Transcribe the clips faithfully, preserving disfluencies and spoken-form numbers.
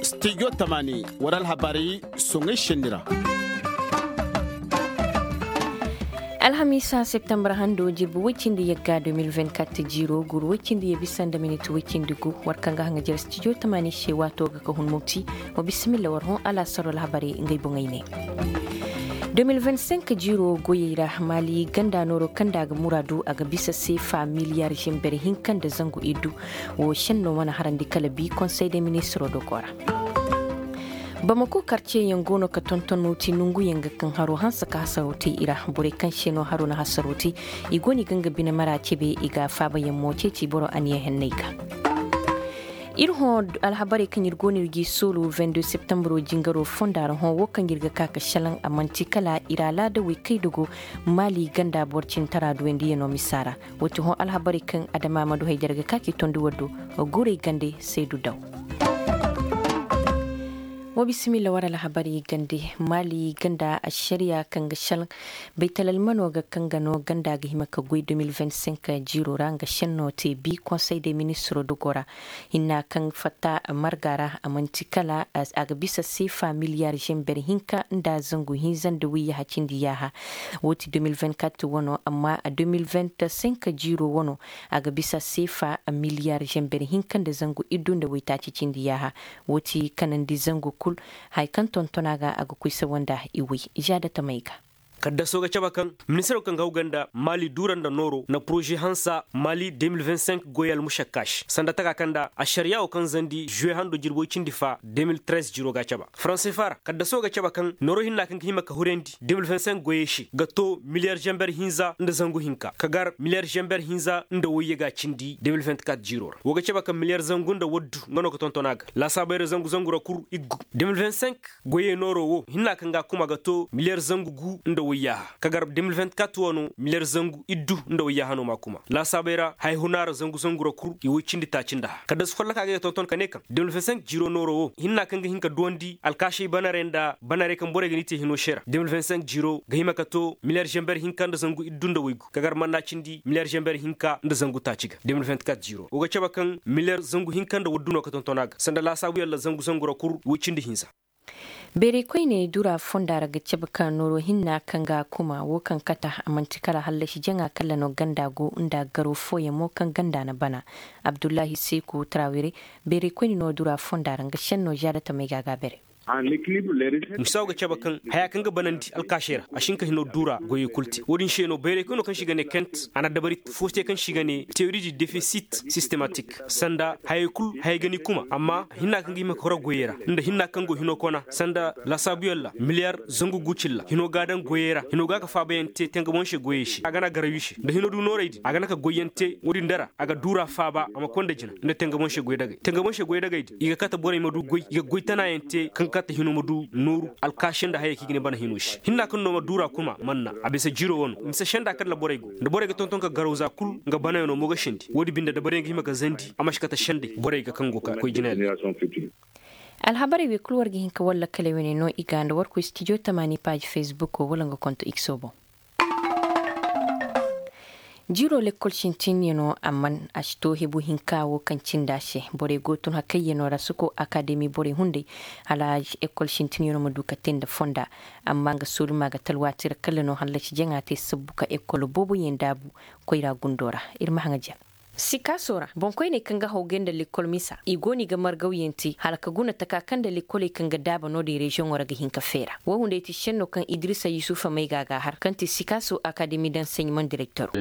Stijo tamaani war alhabaari soŋay senni ra. Alhamiisa septembar hando jirbi woy cindi yagga deux mille vingt-quatre jiiro guru woy cindi ya bisa nda minit woy cindi gu. War kaŋ ga haŋa jere stijo tamaani se waato ga ka hun mopti. Wa bisimilla war hõ alaasaro alhabaari ngey boŋey ne. Deux mille vingt-cinq jiiro goyey ra maali ganda nooro kaŋ nda a ga muraadu a ga bisa seefa miliyar zember hinka nda zangu iddu. Wo senno mana harandi kala bi konsey de ministiro dogo ra. Bamako karceyaŋ go no ka tonton mopti nonguyaŋ ga kaŋ haro hanse ka hasaro te i ra. Borey kaŋ se no haro na hasaro te i go no i ga nga bine mara cebe i ga faabayaŋ mo ceeci boro aniya henney ga. Ir hõ alhabarey kaŋ ir go no ir g'i soolu vingt-deux septembro jingaro fonda ra hõ wo kaŋ ir ga ka ka šelaŋ a man'ti kala ir alaadawey kay dogo maali ganda boro cintara duwayndiyano misa ra. Wo ti hõ alhabarey kaŋ adama ma du hay da ir ga ka k'i tondi war do. Guray gande seedu daw. Wa bisimilla war alhabarey gande maali ganda ašariya kaŋ ga šelaŋ baytal almano ga kaŋ ga no ganda ga hima ka goy deux mille vingt-cinq jiiro ra nga šenno te bi konsey de ministiro dogo ra. Hinna kaŋ fatta marga ra a man'ti kala a ga bisa seefa miliyar zember hinka nda zangu hinza nda wayyaha cindi yaaha. Wo ti deux mille vingt-quatre wano amma deux mille vingt-cinq jiiro wano a ga bisa seefa miliyar zember hinka nda zangu iddu nda waytaaci cindi yaaha. Wo ti kanandi zangu kul haya kaŋ tonton a ga a ga koy sawa nda i way. Zaada tamey ga. Kaddaso ga cabe kaŋ ministiro kaŋ ga hawgay nda maali duura nda nooro na poroze hansa maali deux mille vingt-cinq goyey almušakka se sanda taka kaŋ nda ašariya wo kaŋ zandi žuwe hando jirbi woy cindi fa deux mille treize jiiro ga a cabe. Faranse fa ra kaddaso ga cabe kaŋ nooro hinna kaŋ ga hima ka hurandi deux mille vingt-cinq goyey se ga to miliyar zember hinza nda zangu hinka ka gar miliyar zember hinza nda wayye ga cindi deux mille vingt-quatre jiiro ra wo ga cabe kaŋ miliyar zangu nda waddu nga no ga tonton a ga laasaabey ra zangu zangu ra kul iggu. Deux mille vingt-cinq goyey nooro wo hinna kaŋ ga a kuma ga to miliyar zangu gu nda wayyaaha ka gar deux mille vingt-quatre wano miliyar zangu iddu nda wayyaaha no m'a kuma laasaabey ra haya huna ra zangu zangu ra kul i woy cindi taaci nda hã kaddasu folloka ga ay ga tonton ka ne kaŋ deux mille vingt-cinq jiiro nooro wo hinna kaŋ ga hin ka duwandi alkaasey banarey nda banarey kaŋ borey ga ni te hino se ra deux mille vingt-cinq jiiro ga hima ka to miliyar zember hinka nda zangu iddu nda waygu ka gar manna cindi miliyar zember hinka nda zangu taaci ga deux mille vingt-quatre jiiro wo ga cabe kaŋ miliyar zangu hinka nda waddu no ga tonton a ga sanda laasaabu yalla zangu zangu ra kul woy cindi hinza. Beerey koyne dura fonda ra ga cabe ka nooro hinna kaŋ ga a kuma wo kaŋ kata a man'ti kala hallasi jaŋa kala no ganda go nda garo fooyaŋ mo kaŋ ganda na bana. Abdullahi seeku tarawere beerey koyne no dura fonda ra nga senno zaada tamey ga a ga a bere. Musaw ga cabe kaŋ haya kaŋ ga banandi alkaasey ra a si hin ka hino duura goyey kul te wo-din se no bayray koyno kaŋ se i ga ne kent a na dabari fo te kaŋ se i ga ne teori di defisit sistematik sanda hayey kul hayey ga ni kuma amma hinna kaŋ ga hima ka horo goyey ra nda hinna kaŋ go hino kona sanda laasaabuyaŋ ra miliyar zangu gu cilla hino ga a daŋ goyey ra hino ga a ka faabayaŋ te tengaboŋ se goyey se a ga na garawi se nda hino du noorey din a ga na ka goyyaŋ te wo-din dara a ga duura faaba a ma konda jina nda tengaboŋ se goy dagay tengaboŋ se goy dagay din i ga kate borey ma du goy i ga goy tanayaŋ te kaŋ ga kate hino ma du nooru alkaasi nda hayey kaŋ i ga ne bana hino se hinna kaŋ no ma duura kuma manna a bisa jiro wano mise senda kaŋ ra borey go nda borey ga tonton ka garawza kul nga banayaŋo mo ga sendi wo-din binde da borey ga hima ka zandi a ma si kate sendey borey ga kaŋ go ka koy jina yaŋ. Alhabarey wey kul war ga hin ka walla kala wane no i ga nda war koy stijo tamaani paaji fesbuk wala nga konto ikso boŋ. Jiro lekkol sintinyanoo amman a si too hebu hinka woo kaŋ cindi a se. Borey go tun hakayyanoo ra suko akademi borey hunday hala lekkol sintinyanoo ma du ka tee nda fonda. Amma nga soolumaa ga talwaati ra kala no hallasi jaŋa te sabbu ka lekkol booboyaŋ daabu koyra gundoo ra. Ir ma haŋa ja. Sikaasoo ra boŋkoyney kaŋ ga hawgay nda lekkol misa i go no i ga margawyaŋ te hala ka guna taka kaŋ nda lekkoley kaŋ ga daaba no-din reziyoŋoo ra ga hin ka feera woo hunday ti senno kaŋ idirisa yusufa may ga a ga a har kaŋ ti sikaasoo akademi danseɲamoŋ direktoro.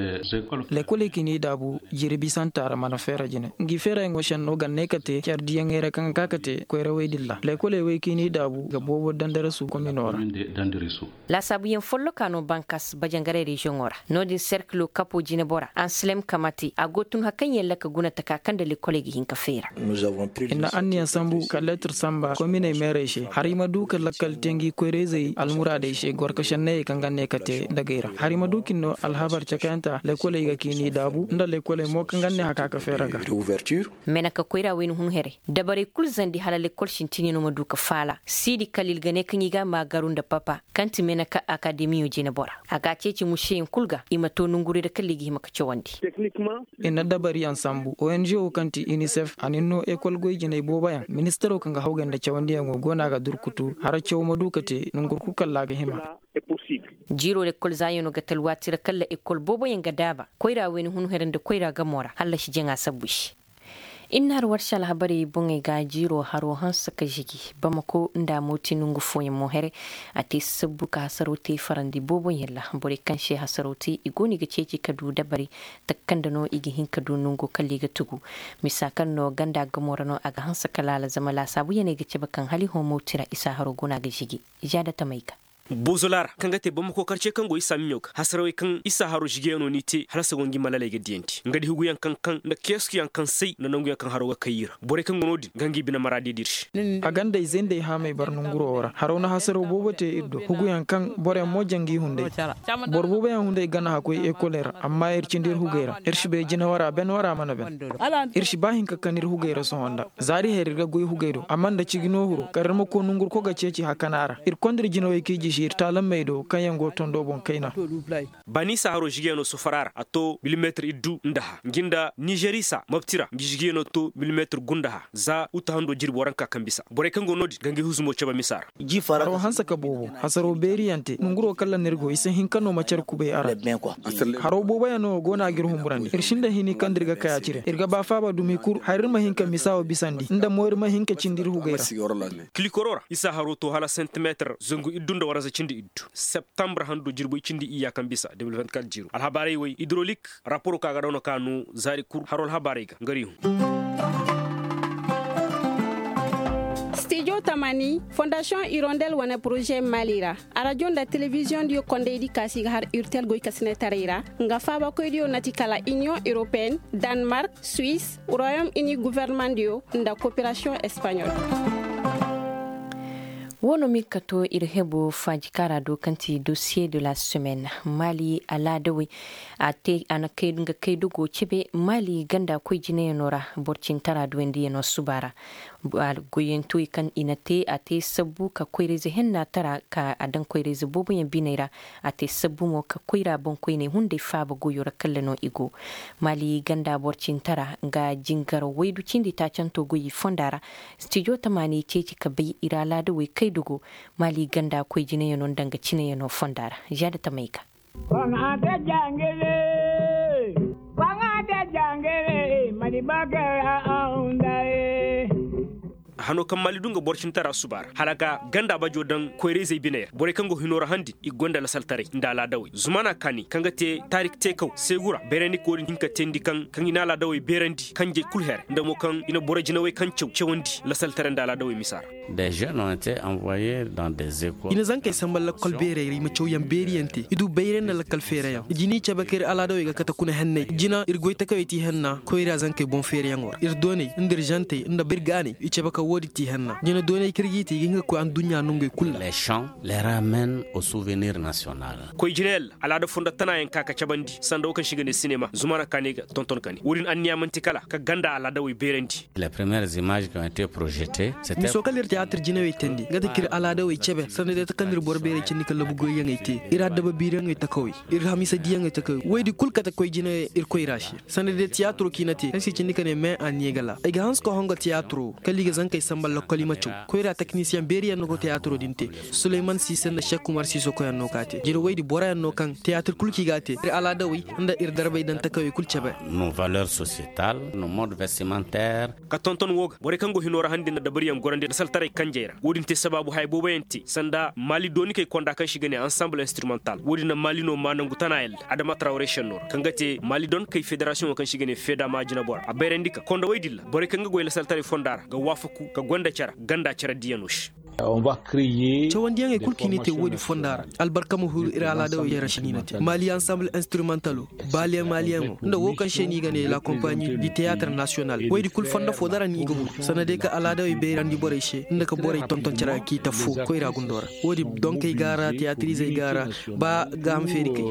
Lekkoley kaŋ i n'i daabu jirbi santa ra mana feera jine ngi feerayaŋo senno ga ne ka te care diyaŋey ra kaŋ ga ka ka te koyrawey din ra lekkoley wey kaŋ i n'i daabu ga boobo dandarasu kominoo ra. Laasaabuyaŋ follokaa no bankas bajangaray reziyoŋoo ra no-din serkiloo kapoo jinebora ansilem kamate a go tun hakaŋ yaŋ ra ka guna taka kaŋ nda lekoley ga hin ka feera. I na anniya sambu ka leetir samba kominey meerey se hari ma du ka lakkal te ngi koyra-izey almuraadey se gorka šennayey kaŋ ga ne ka te dagey ra hari ma du ka ni no alhabar cakayanta lekoley ga ka i n'i daabu nda lekoley mo kaŋ ga ne haka ka feera ga. Mena ka koyra wayna hun here dabarey kul zandi hala lekol sintinyanoo ma du ka faala siidi kala ir ga ne kaŋ i ga a maagaru nda papa kaŋ ti mena ka akademiyo jinebora a ga a ceeci museyaŋ kul ga i ma too nongurey ra kala i ga hima ka cawandi. I na Dabariyaŋ sambu ongo kaŋ ti inisef a na ni no ekol goy jinay booboyaŋ ministaro kaŋ ga hawgay nda cawandiyaŋo go no a ga durkutu hara caw ma du ka te nongurku kalla a ga hima. Jiiro lekol zaayano ga talwaati ra kalla ekol booboyaŋ ga daaba koyra wayna hunhera nda koyra gamo ra hallasi jaŋa sabbu se. Innaar warsi alhabarey boŋey ga jiiro haro hanse ka žigi bamako nda a mo ti nongu fooyaŋ mo here. A te sabbu ka hasaraw te farandi booboyaŋ ra borey kaŋ se hasaraw te i go no i ga ceeci ka du dabari taka kaŋ nda no i ga hin ka du nongo kala i ga tugu. Misa kaŋ no ganda gamo ra no a ga hanse ka laala zama laasaabuyaney ga cabe kaŋ hala i hõ mawti ra isa haro go no a ga žigi. Izaada tamey ga. Bozolaa ra kaŋ ga te bamako karce kaŋ go isa miɲo ga hasarawey kaŋ isa haro žigeyaŋo no i te hala sago ngi malaley ga diyandi nga di huguyaŋ kaŋ kaŋ nda keesuyaŋ kaŋ say nda nanguyaŋ kaŋ haro ga kay i ra borey kaŋ go no-din ga ngi bine maraadiyadi ir se. A ganda izey nda ay haamey bar nonguro wo ra haraw na hasaraw boobo te ir do huguyaŋ kaŋ boroyaŋ mo jaŋ ngi hunday. Boro booboyaŋ hunday gana hakkoy ekoley ra amma ir cindi ir hugey ra ir si bay jinawara ben wara mana ben. Ir si ba hinka kan ir hugey ra sohõ nda zaari her ir ga goy hugey do amma nda cigi no huro kar ir ma koy nongurko ga ceeci hakana ra ir konda ir jinawey ka i jisi ir taalammey do kaŋ yaŋ go tondo boŋ kayna. Baani isa haro žigiyano sofora ra a to milimetir iddu nda ha ngi nda nižeri isa mabti ra ngi žigiyano to milimetir gu nda ha za uta hando jirbi waranka kaŋ bisa borey kaŋ go no-din ga ngi huzumo cabe misa ra. Haro hanse ka boobo hasaro beeriyaŋ te nonguro kalla no ir go i si hin ka no ma care kubay a ra. Haro booboyaŋ no go no a ga ir humburandi ir sinda hini kaŋ nda ir ga kay a cire ir ga ba faaba dumi kul har ir ma hin ka misa wo bisandi nda mo ir ma hin ka cindi ir hugay ra. Kilikoro ra isa haro to hala santimetir zangu iddu nda waranza cindi iddu septembre hando jirbi cindi iyya kaŋ bisa de mil vingt-quatre jiiro alhabaarey wey idrolik. Raporo ka ga daw no ka no zaari kul haro alhabaarey ga nga ri hun. Stijo tamani fondasiyoŋ irondel wane poroze mali ra arajo nda telebiziyoŋ diyo kondaydi kaasi ga har urtel goy kasinetaray ra nga faabakoydiyo na ti kala iniyoŋ europeen, danmark, suwis, royom ini guvernemandiyo nda koperasiyoŋ espaɲol. Woo no ma ir ka to ir hebo faajikaara do kaŋ ti dosiye de la semaine mali alaadawey a te a na kay nga kay dogo cebe mali ganda koy jinayaŋo ra boro cintara duwandiyaŋo suba ra. Goyyantoy kaŋ i na te a te sabbu ka koyrayze henna tara ka a daŋ koyrayze booboyaŋ biney ra. A te sabbu mo ka koyra boŋkoyney hunday faaba goyo ra kalla no i go. Mali ganda boro cintara nga jingar waydu cindi taacanto goy i fonda ra. Stijo tamaani ceeci ka bay ir alaadawey kay dogo mali ganda koy jinayaŋo nda nga cinayaŋo fonda ra. Zaada tamey ga. Hano kaŋ maali du nga boro cintara suba ra hala ga ganda bajo daŋ koyrayzey biney ra borey kaŋ go hino ra han din i gonda lasaltaray nda alaadawey zumana kaani kaŋ ga te taarik teekaw seegu ra bayrandi ka wo-din hin ka teendi kaŋ kaŋ i na alaadawey beerandi kanjey kul her nda mo kaŋ i na boro jinawey kaŋ caw cawandi lasaltaray nda alaadawey misa ra. I na zankey samba lakkol beerey ra i ma cawyaŋ beeriyaŋ te i du bayray nda lakkal feerayaŋ i jina i cabe ka ir alaadawey ga kate kuna henney jina ir goy takawey ti henna koyra zankey boŋ feerayaŋo ra ir dooney nda ir žantey nda birgaaney i cabe ka woodi ti henna jina dooney kaŋ ir g'i te i ga hin ka koy adduɲɲa nongey kul ra. Koy jinayaŋ ra alaada fondo tanaayaŋ ka ka cabandi sanda wo kaŋ se i ga ne sinema zumana kaani ga tonton kani wo-din anniya man'ti kala ka ganda alaadawey beerandi. Miso kala ir tiyaatir jinawey teendi nga ti ka ir alaadawey cebe sanda day ta kaŋ ir boro beerey cindi ka labu goyyaŋey te ir addaba biiriyaŋey takawey ir hamiisa diyaŋey takawey woy di kul kate koy jinawey ir koyra se sanda day tiyaatiro kaŋ i na te kaŋ se i cindi ka ne me anniya gala ay ga hanse ka hongo tiyaatiro kala i ga zankey samba lakkol i ma caw koyra teknisiyeŋ beeriyaŋ no go tiyaatiro din te. Suleyman siise nda sek umar siiso koyaŋ no ka te jina woy di boroyaŋ no kaŋ tiyaatir kul kaŋ i ga a te ir alaadawey nda ir darbey daŋ takawey kul cebe. Ka tonton wo ga borey kaŋ go hino ra handi nda dabariyaŋ gorandi lasaltaray kanjey ra wo-din te sabaabu haya booboyaŋ te sanda maali doonikey konda kaŋ se i ga ne ansamble instrumental wo-din na maali no maa nangu tana yalla adama trawre senno ra kaŋ ga te maali doonikey federasiyoŋo kaŋ se i ga ne fedama jinabora a bayrandi ka kondowey din ra borey kaŋ ga goy lasaltaray fonda ra ga waafaku ka gonda care ganda care diyano se. Cawandiyaŋey kul kaŋ i na te wo-din fonda ra albarka ma huru ir alaadawey yaŋ ra se no i na te maali ansamble instrumentalo baaliyaŋ maaliyaŋo nda wo kaŋ se no i ga ne la kompaɲi di teyatir nasiyonal woy di kul fondo fo dara no i ga huru sanda day ka alaadawey bayrandi borey se nda ka borey tonton care ga k'i ta fo koyra gundo ra wo-din donkey ga a ra teyatirizey ga a ra ba gaaham feeri kay.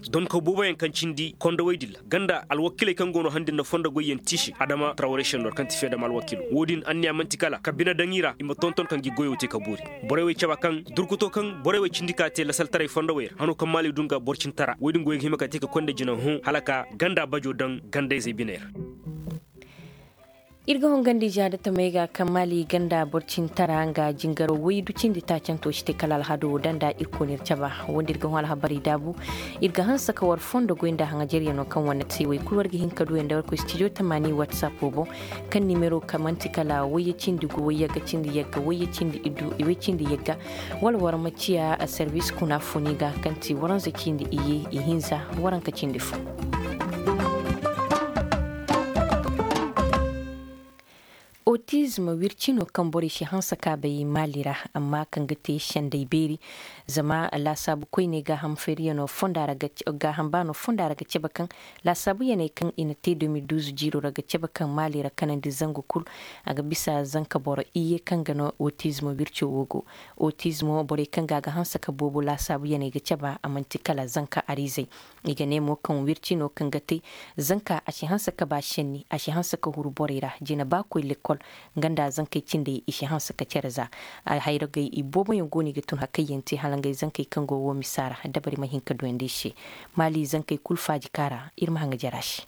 Donka booboyaŋ kaŋ cindi kondowey din ra ganda alwakiley kaŋ go no handi nda fondo goyyaŋ tiisi adama trawre senno ra kaŋ ti feedama alwakilo wo-din anniya man'ti kala ka Bine daŋ i ra i ma tonton kaŋ gi goyoo te ka boori. Borey wey caba kaŋ durkuto kaŋ borey wey cindi ka te lasaltaray fondowey ra hano kaŋ maali du nga boro cintara woy din goy ga hima ka te ka konda jina hõ hala ka ganda bajo daŋ gandayzey biney ra. Ir ga hongandi jaada tamey ga kaŋ maali ganda boro cintara nga jingaro woy du cindi taacanto si te kala alhado wo daŋ nda ir koonir caba. Wanda ir ga hõ alhabarey daabu ir ga hanse ka war fondo goy nda haŋajaryanoo kaŋ wane te woy kul war ga hin ka duwey nda war koy stijo tamaani watsapo boŋ. Kaŋ nimero kaŋ man'ti kala woyye cindi gu woyye ga cindi yagga woyye cindi iddu iwey cindi yagga. Wala war ma ciya servis kuna funi ga kaŋ ti waranza cindi iye ihinza waranka cindi fo. Otizm wirci no kaŋ borey si hanse ka bay maali ra amma kaŋ ga te sendey beeri. Zama laasaabu koyney gaaham feeriyano fonda ra ga cabe kaŋ laasaabu yaney kaŋ i na te de mil duuz jiiro ra ga cabe kaŋ maali ra kanandi zangu kul. A ga bisa zanka boro iyye kaŋ ga no otizmo wirco wo go. Otizmo borey kaŋ ga a ga hanse ka boobo laasaabu yaney ga cabe a man'ti kala zanka ariizey. I ga ne mo kaŋ wirci no kaŋ ga te zanka a si hanse ka ba senni a si hanse ka huru borey ra jina ba koy lekkol. Nga nda zankey cindey i si hanse ka cere za. Alhayragey i booboyaŋ go no i ga tun hakayyaŋ te hala ngey zankey kaŋ go wo misa ra dabari ma hin ka duyandi i se. Maali zankey kul faaji ka ra ir ma haŋa jara se.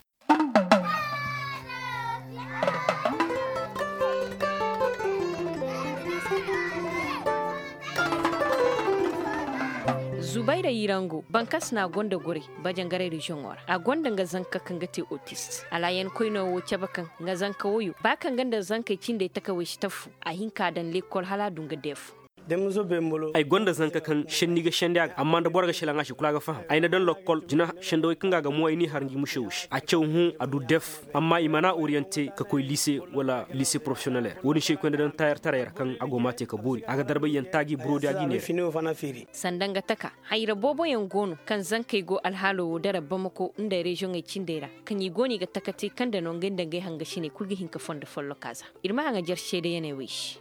Zubayra yirango bankas no a gonda gorey bajangaray reziyoŋo ra a gonda nga zanka kaŋ ga te otist alaayankoyno wo cabe kaŋ nga zanka woyo ba kaŋ ga nda zankey cindey takawey si tafu a hin ka daŋ lekkol hala a du nga deef. Ay gonda zanka kaŋ senni ga sendi a ga amma nda boro ga selaŋ a se kulu a ga faham ay na daŋ lokkol jina sendawey kaŋ ga a ga mo ay n'i har ngi musewo se a caw hõ a du def. Amma i mana oriyante ka koy liise wala liise porofesiyonel ra wo-din se ay koy nda daŋ taayar taray ra kaŋ a go m'a te ka boori a ga darbay yaŋ taaji buroodi a ga i neera. Sanda nga taka hayra booboyaŋ go no kaŋ zankey go alhaalo wo dara bamako nda reziyoŋey cindey ra kaŋ i go no i ga taka te kaŋ nda no ngey nda ngey hangasiney kulu ga hin ka fondo follokaa za. Ir ma haŋajer seedeyaney wey se.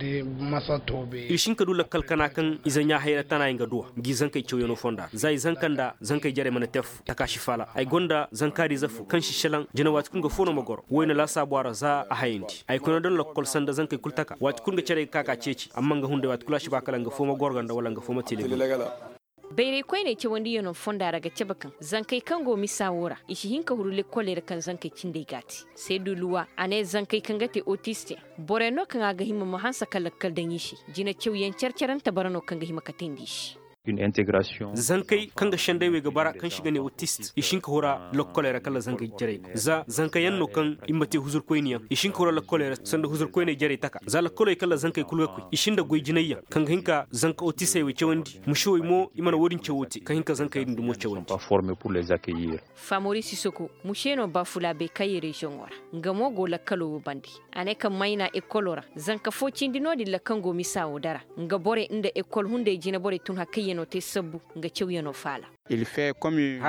Ir si hin ka du lakkal kana kaŋ ize ɲaa hayra tana i nga duwa ngi zankey cawyanoo fonda ra za i zanka nda zankey jarey mana te affoo taka si faala ay gonda zankaariize foo kaŋ si selaŋ jina waati kul nga foo no ma goro woy na laasaabu a ra za a hayandi ay kuna daŋ lakkol sanda zankey kul taka waati kul nga carey ga ka ka ceeci amma nga hunday waati kul a si ba kala nga foo ma goro ga nda wala nga foo ma te legal. Bayray koyney cawandiyano fonda ra ga cabe kaŋ zankey kaŋ go misa woo ra i si hin ka huru lekkoley ra kaŋ zankey cindey g'a te. Seedu luwa a ne zankey kaŋ ga te otiste borey no kaŋ a ga hima ma hanse ka lakkal daŋ i se. Jina cawyaŋ care-carante bara no kaŋ ga hima ka teendi i se. Zankey kaŋ ga senday wey ga bara kaŋ se i ga ne otist i si hin ka hura lekkoley ra kala zankey jarey go za zankayaŋ no kaŋ i ma te huzurkoyniyaŋ i si hin ka hura lekkoley ra sanda huzurkoyney jarey taka za lekkoley kala zankey kul ga koy i si nda goy jinayyaŋ kaŋ ga hin ka zanka otistey wey cawandi. Musewey mo i mana wo-din cawo te ka hin ka zankey din dumo cawandi. Famoori sisoko muse no baafulaabey kaŋ ye reziyoŋo ra. Nga mo go lakkaloo wo bande. A ne kaŋ mayna ekkoloo ra zanka foo cindi no-din ra kaŋ go misa wo dara nga borey nda ekkol hunday jina borey tun hakayyanoo te sabbu. Nga cawyanoo faala. Haya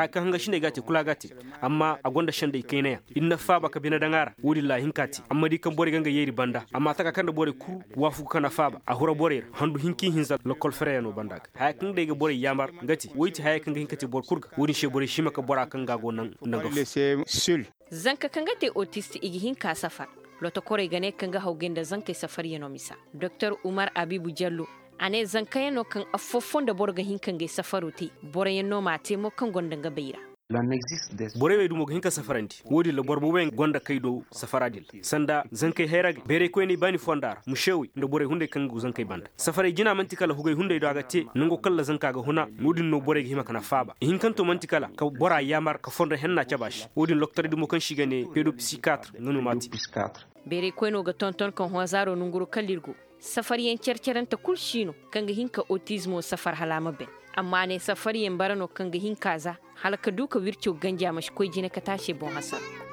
kaŋ hangasiney g'a te kulu a g'a te. Amma a gonda senday kaynayaŋ ir na faaba ka bine daŋ a ra wo-din ra a hin k'a te amma di kaŋ borey ga nga yeeri banda amma taka kaŋ nda borey kul waafagu ka na faaba a hura borey ra handu hinka ihinza lokkol fereyanoo banda ga haya kaŋ day ga borey yaamar nga te woy ti haya kaŋ ga hin ka te boro kul ga wo-din se borey si hima ka bora kaŋ ga a go naŋ nda nga fo. Zanka kaŋ ga te otist i ga hin ka safar. Lotokorey ga ne kaŋ ga hawgay nda zankey safaryanoo misa doktor umar abiibu jallo. A ne zankayanoo kaŋ affoo foo nda boro ga hin ka ngey safaroo te. Boroyaŋ no m'a te mo kaŋ gonda nga bay ra. Borey wey dumo ga hin ka safarandi wo-din ra boro booboyaŋ gonda kay do safara din ra sanda zankey hayragey bayraykoyney baani fonda ra musewey nda borey hunday kaŋ go zankey banda safaray jina man'ti kala hugay hunday do a ga te nango kaŋ ra zanka ga huna. No-din no borey ga hima ka na faaba ihinkanto man'ti kala ka bora yaamar ka fondo henna cabe a se. Wo-din loktor dumo kaŋ se i ga ne pedopsikatre nga no m'a te. Beeraykoynoo ga tonton kaŋ hoozaaroo nanguroo kala ir go. Safaryaŋ care-carante kul si no kaŋ ga hin ka otizmoo safar hala a ma ben. Amma a ne safaryaŋ bara no kaŋ ga hin ka za hala ka du ka wircoo ganji a ma si koy jine ka te a se boŋ hasara.